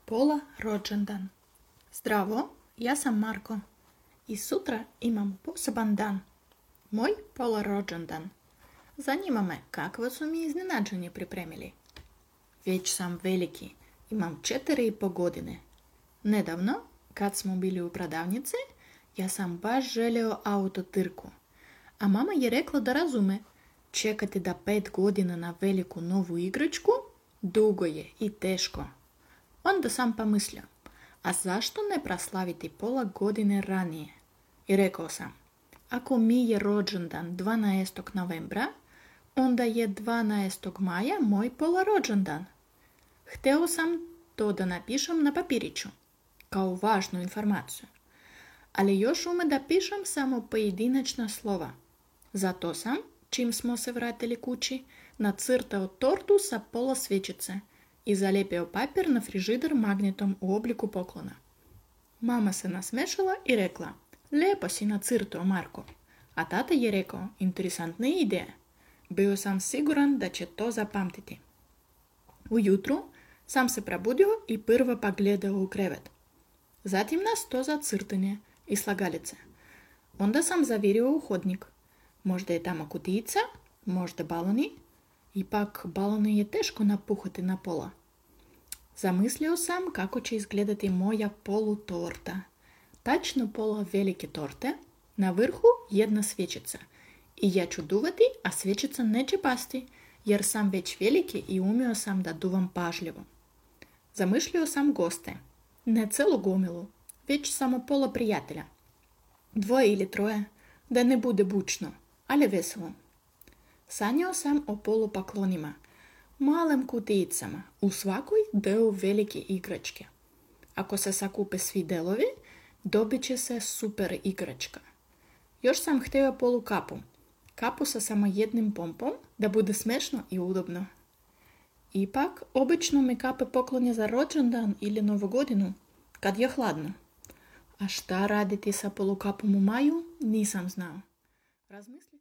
Pola rođendan. Zdravo, ja sam Marko i sutra imam poseban dan. Moj pola rođendan. Zanima me kakvo su mi iznenađenje pripremili. Već sam veliki, imam 4,5 godine. Nedavno, kad smo bili u prodavnici, ja sam baš želio autotrku. A mama je rekla da razume, čekati da 5 godina na veliku novu igračku dugo je i teško. Onda sam pomislio, a zašto ne proslaviti pola godine ranije? I rekao sam, ako mi je rođendan 12. novembra, onda je 12. maja moj pola rođendan. Htio sam to da napišem na papiriću, kao važnu informaciju. Ali još ume da pišem samo pojedinačna slova. Zato sam, čim smo se vratili kući, nacrtao tortu sa pola svećice i zalijepio papir na frižider magnetom u obliku poklona. Mama se nasmešala i rekla, lijepo si nacrtao, Marko. A tata je rekao, interesantna ideja. Bio sam siguran da će to zapamtiti. Ujutru sam se probudio i prvo pogledao u krevet. Zatim na sto za crtanje i slagalice. Onda sam zavirio u hodnik. Možda je tamo kutijica, možda baloni. Ipak balone je teško napuhati na pola. Zamislio sam kako će izgledati moja polutorta. Tačno pola velike torte, na vrhu jedna svječica. I ja ću duvati, a svječica neće pasti, jer sam već veliki i umio sam da duvam pažljivo. Zamišljao sam goste, ne celu gomilu, već samo pola prijatelja. 2 ili 3, da ne bude bučno, ali veselo. Sanjao sam o polupaklonima, malim kutijicama, u svakoj deo velike igračke. Ako se sakupe svi delovi, dobit će se super igračka. Još sam htio polukapu, kapu sa samo jednim pompom, da bude smešno i udobno. Ipak, obično mi kape poklonje za rođendan ili novu godinu, kad je hladno. A šta raditi sa polukapom u maju, nisam znao. Razmislio